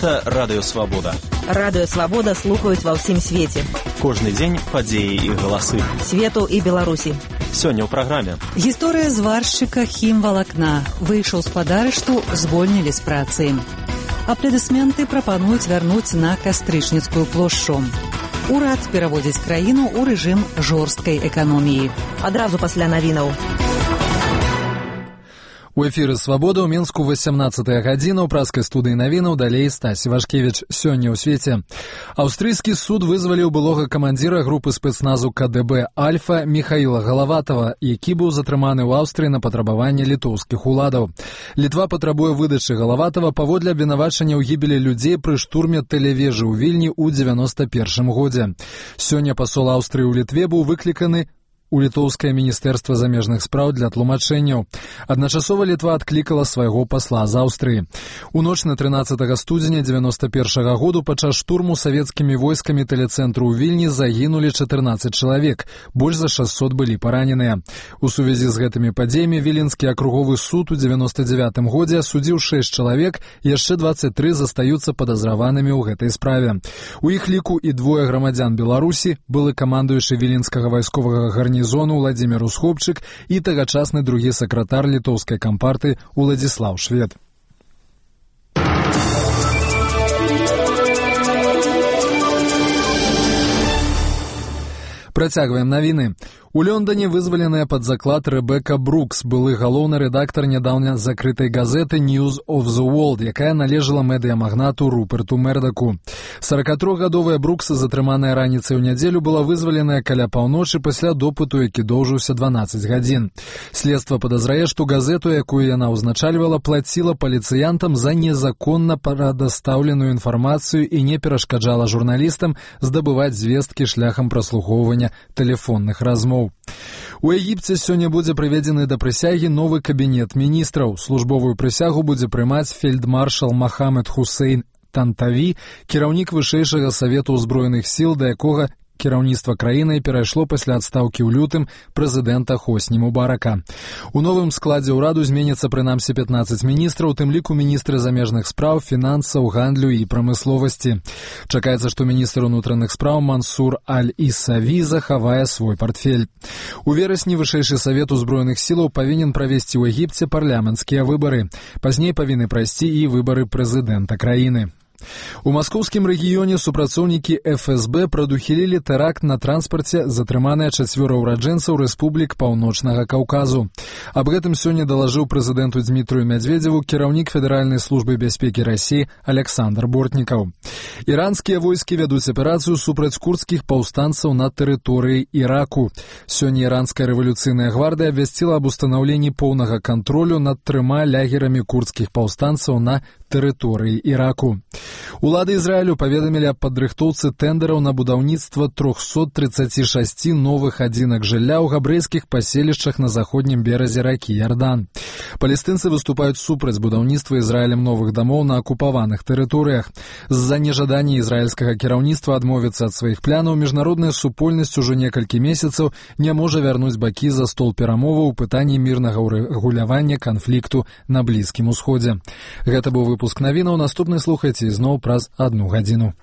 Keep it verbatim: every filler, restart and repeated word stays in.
Гэта Радыё Свабода. Радыё Свабода слухаюць ва ўсім свеце. Кожны дзень падзеі і галасы. Свету і Беларусі. Сёння ў праграме. Гісторыя зваршчыка хімвалакна. Выйшаў з падарышту, звольнілі з працы. Апладысменты прапануюць вярнуць на Кастрычніцкую плошчу. Урад пераводзіць краіну ў рэжым жорсткай эканоміі. Адразу пасля навінаў. У эфіры «Свабода» ў Мінску васямнаццатая гадзіна, ў праскай студыі навінаў, далей Стась Івашкевіч. Сёння ў свеце. Аўстрыйскі суд вызваліў былога камандзіра групы спецназу ка дэ бэ «Альфа» Міхаіла Галаватава, які быў затрыманы ў Аўстрыі на патрабаванне літоўскіх уладаў. Літва патрабуе выдачы Галаватава паводле абвінавачання ў гібелі людзей пры штурме тэлевежы ў Вільні ў дзевяноста першым годзе. Сёння пасол Аўстрыі ў Літве быў выкліканы у літоўскае міністэрства замежных спраў для тлумачэнняў. Адначасова Літва адклікала свайго пасла з Аўстрыі. У ноч на трынаццатага студзеня дзевяноста першага году падчас штурму савецкімі войскамі тэлецэнтру ў Вільні загінулі чатырнаццаць чалавек, больш за шасцьсот былі параненыя. У сувязі з гэтымі падзеямі Віленскі акруговы суд у дзевяноста дзявятым годзе асудзіў шэсць чалавек, яшчэ дваццаць тры застаюцца падазраванымі ў гэтай справе. У іх ліку і двое грамадзян Беларусі, былы камандуючы віленскага вайсковага гарнізону зону Владзімір Усхопчык і тагачасны другі сакратар літоўскай кампарты Уладзіслаў Швед. Працягваем навіны. У Лондоне вызваленая пад заклад Рэбека Брукс, былы галоўны рэдактар нядаўня закрытай газеты News of the World, якая належала медыямагнату Руперту Мердаку. саракатрохгадовая Брукс, затрыманая раніцай у нядзелю, была вызваленая каля паўночы пасля допыту, які доўжыўся дванаццаць гадзін. Следства падазрае, што газету, якую яна ўзначальвала, плаціла паліцыянтам за незаконна прадастаўленую інфармацыю і не перашкаджала журналістам здабываць звесткі шляхам праслухоўвання тэлефонных размоў. У Егіпце сёння будзе прыведзены да прысягі новы кабінет міністраў. Службовую прысягу будзе прымаць фельдмаршал Махамед Хусейн Тантаві, кіраўнік вышэйшага савету ўзброеных сіл, да якога кіраўніцтва краіны перайшло пасля адстаўкі ў лютым прэзідэнта Хосні Мубарака. У новым складзе ўраду зменіцца прынамсі пятнаццаць міністраў, у тым ліку міністры замежных спраў, фінансаў, гандлю і прамысловасці. Чакаецца, што міністр унутраных спраў Мансур Аль-Ісаві захавае свой партфель. У верасні вышэйшы савет узброеных сілаў павінен правесці ў Егіпце парламенцкія выбары. Пазней павінны прайсці і выбары прэзідэнта краіны. У маскоўскім рэгіёне супрацоўнікі эф эс бэ прадухілілі тэракт на транспарце, затрыманыя чацвёра ўраджэнцаў рэспублік Паўночнага Каўказу. Аб гэтым сёння далажыў прэзідэнту Дзмітрыю Мядзведзеву кіраўнік Федэральнай службы бяспекі Расіі Александр Бортнікаў. Іранскія войскі вядуць аперацыю супраць курдскіх паўстанцаў на тэрыторыі Іраку. Сёння іранская рэвалюцыйная гвардыя абвясціла аб устанаўленні поўнага кантролю над трыма лягерамі курдскіх паўстанцаў на тэрыторыі Іраку. Улады Ізраілю паведамілі аб падрыхтоўцы тэндэраў на будаўніцтва трохсот трыццаці шасці новых адзінак жылля ў габрэйскіх паселішчах на заходнім беразе ракі Ярдан. Палестынцы выступаюць супраць будаўніцтва Ізраілем новых дамоў на акупаваных тэрыторыях. З-за нежадання ізраільскага кіраўніцтва адмовіцца ад сваіх планаў, міжнародная супольнасць ужо некалькі месяцаў не можа вярнуць бакі за стол перамоваў у пытанні мірнага ўрэгулявання канфлікту на Блізкім Усходзе. Гэта быў выпуск навінаў. Наступны слухайце зноў праз адну гадзіну.